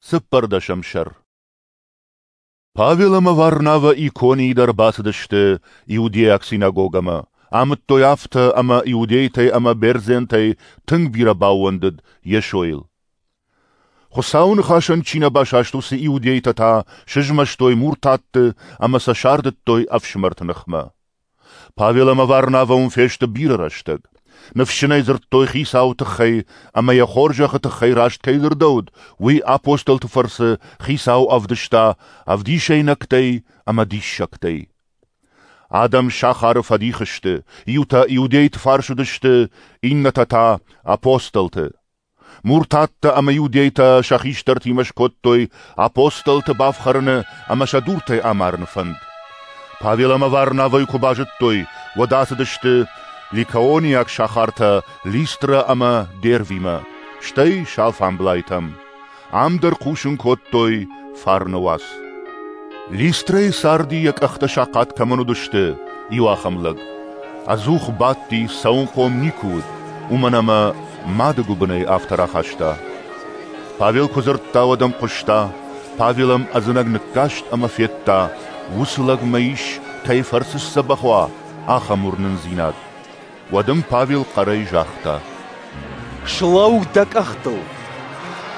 Цыппӕрдӕсӕм сӕр. Павел ӕмӕ Варнавӕ Иконийы дӕр бацыдысты иудейаг синагогӕмӕ, амыдтой афтӕ, ӕмӕ иудейтӕй ӕмӕ бердзентӕй тынг бирӕ баууӕндыд Йесойыл. Хуыцауы ныхасӕн чи нӕ басаст, уыцы иудейтӕ та сызмӕстой муртатты ӕмӕ сӕ сардыдтой ӕфсымӕрты ныхмӕ. Павел ӕмӕ Варнавӕ уым фесты бирӕ рӕстӕг. Ныфсджынӕй дзырдтой Хицауы тыххӕй ӕмӕ йӕ хорзӕхы тыххӕй раст кӕй дзырдӕуыд, уый апостолты фӕрцы Хицау ӕвдыста ӕвдисӕйнӕгтӕй ӕмӕ диссӕгтӕй. Адӕм сахары фӕдих сты, иутӕ иудейты фарс уыдысты, иннӕтӕ та апостолты. Муртаттӕ ӕмӕ иудейтӕ сӕ хистӕртимӕ скодтой апостолты бафхӕрыны ӕмӕ сӕ дуртӕй амарыны фӕнд. Павел ӕмӕ Варнавӕйы куы базыдтой, уӕд ацыдысты ликаониаг сахартӕ Листрӕ ӕмӕ Дервимӕ, стӕй Салфамблайтӕм. Ам дӕр хъусын кодтой фарны уац. Листрӕйы царди, йӕ къӕхтӕ сахъат кӕмӕн уыдысты, иу ахӕм лӕг. Ӕдзух бадти, цӕуынхъом никуы уыд, уымӕн ӕмӕ мады гуыбынӕй афтӕ рахаста. Павел куы дзырдта, уӕд ӕм хъуыста. Павел ӕм ӕдзынӕг ныккаст ӕмӕ федта, уыцы лӕгмӕ ис, кӕй фӕрцы сдзӕбӕх уа, ахӕм уырнындзинад. Уӕд ын Павел хъӕрӕй загъта: «Слӕуу дӕ къӕхтыл!»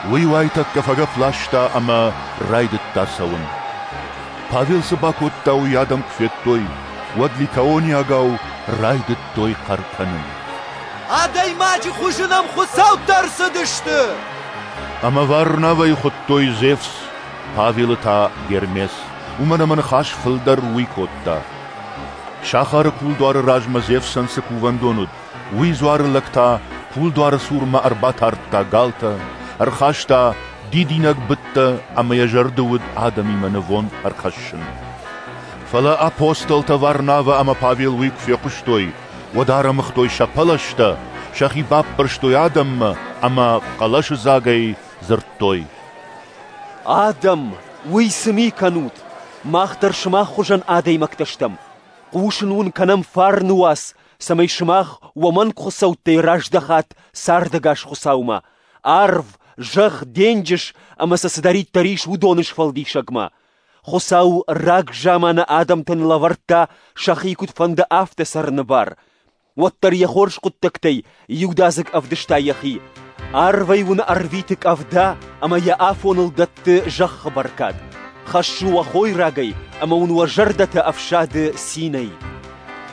Уый уайтӕккӕ фӕгӕпп ласта ӕмӕ райдыдта цӕуын. Павел цы бакодта, уый адӕм куы федтой, уӕд ликаониагау райдыдтой хъӕр кӕнын. «Адӕймаджы хуызы нӕм хуыцӕуттӕ ӕрцыдысты!» Ӕмӕ Варнавӕйы хуыдтой Зевс, Павелы та Гермес, уымӕн ӕмӕ ныхас фылдӕр уый кодта. Сахары кулдуары размӕ Зевсӕн цы кувӕндон уыд, уый дзуары лӕг та кулдуары цурмӕ ӕрбатардта галтӕ, ӕрхаста дидинӕг быдтӕ ӕмӕ йӕ зӕрды уыд адӕмимӕ нывонд ӕрхӕссын. Фӕлӕ апостолтӕ Варнавӕ ӕмӕ Павел уый куы фехъуыстой, уӕд арӕмыгътой сӕ пӕлӕзтӕ, сӕхи баппӕрстой адӕммӕ ӕмӕ хъӕлӕсыдзагӕй дзырдтой: «Адӕм, уый цы ми кӕнут? Мах дӕр сымах хуызӕн адӕймӕгтӕ стӕм. Хъусын уын кӕнӕм фарны уац, цӕмӕй сымах уӕ мӕнг хуыцӕуттӕй раздӕхат цардӕгас Хуыцаумӕ, арв, зӕхх, денджыз ӕмӕ сӕ цыдӕриддӕр ис, уыдоны сфӕлдисӕгмӕ. Хуыцау рагзаманы адӕмтӕн лӕвӕрдта сӕхи куыд фӕнды, афтӕ цӕрыны бар. Уӕддӕр йӕ хорз хъуыддӕгтӕй иудадзыг ӕвдыста йӕхи. Арвӕй уын ӕрвиты къӕвда ӕмӕ йӕ афоныл дӕтты зӕххы бӕркад. Хӕссы уӕ хойрагӕй ӕмӕ уын уӕ зӕрдӕтӕ ӕфсады цинӕй».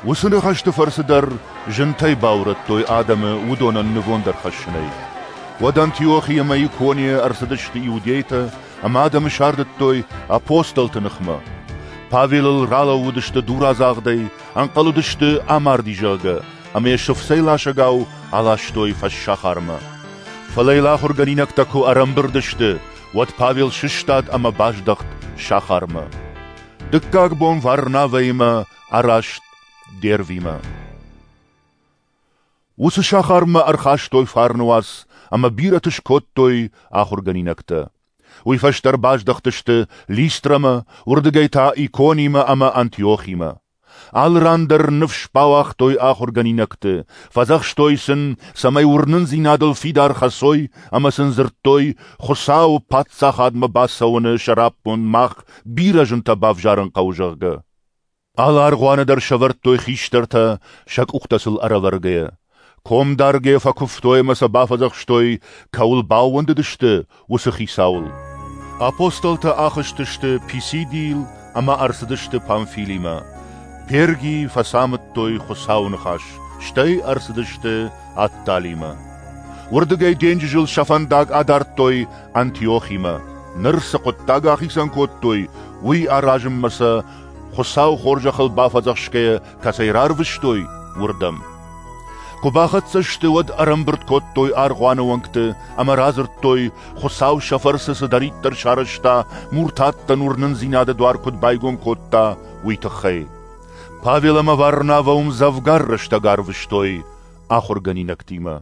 Уыцы ныхӕсты фӕрцы дӕр зынтӕй баурӕдтой адӕмы уыдонӕн нывонд ӕрхӕссынӕй. Уӕд Антиохи ӕмӕ Иконийӕ ӕрцыдысты иудейтӕ ӕмӕ адӕмы сардыдтой апостолты ныхмӕ. Павелыл ралӕууыдысты дурадзагъдӕй, ӕнхъӕл уыдысты амарди, зӕгъгӕ, ӕмӕ йӕ сыфцӕй ласӕгау аластой фӕссахармӕ. Фӕлӕ йыл ахуыргӕнинӕгтӕ куы ӕрӕмбырд сты, уӕд Павел сыстад ӕмӕ баздӕхт сахармӕ. Дыккаг бон Варнавӕимӕ араст Дервимӕ. Уыцы сахармӕ ӕрхастой фарны уац ӕмӕ бирӕты скодтой ахуыргӕнинӕгтӕ. Уый фӕстӕ ӕрбаздӕхтысты Листрӕмӕ, уырдыгӕй та Иконимӕ ӕмӕ Антиохимӕ. Алы ран дӕр ныфс бауагътой ахуыргӕнинӕгты, фӕдзӕхстой сын, цӕмӕй уырнындзинадыл фидар хӕцой ӕмӕ сын дзырдтой, Хуыцауы паддзахадмӕ бацӕуыны сӕраппонд мах бирӕ зынтӕ бавзарын хъӕуы, зӕгъгӕ. Алы аргъуаны дӕр сӕвӕрдтой хистӕртӕ, сӕ къухтӕ сыл ӕрӕвӕргӕйӕ. Комдаргӕйӕ фӕкуывтой ӕмӕ сӕ бафӕдзӕхстой, кӕуыл баууӕндыдысты, уыцы Хицауыл. Апостолтӕ ахызтысты Писидийыл ӕмӕ ӕрцыдысты Памфилимӕ. Пергийы фӕцамыдтой Хуыцауы ныхас, стӕй ӕрцыдысты Атталимӕ. Уырдыгӕй денджызыл сӕ фӕндаг адардтой Антиохимӕ. Ныр цы хъуыддаг ахицӕн кодтой, уый аразынмӕ сӕ Хуыцауы хорзӕхыл бафӕдзӕхсгӕйӕ кӕцӕй рарвыстой, уырдӕм. Куы бахӕццӕ сты, уӕд ӕрӕмбырд кодтой аргъуаны уӕнгты ӕмӕ радзырдтой, Хуыцау сӕ фӕрцы цыдӕриддӕр сарӕзта, муртаттӕн уырнындзинады дуар куыд байгом кодта, уый тыххӕй. Павел ӕмӕ Варнавӕ уым дзӕвгар рӕстӕг арвыстой ахуыргӕнинӕгтимӕ.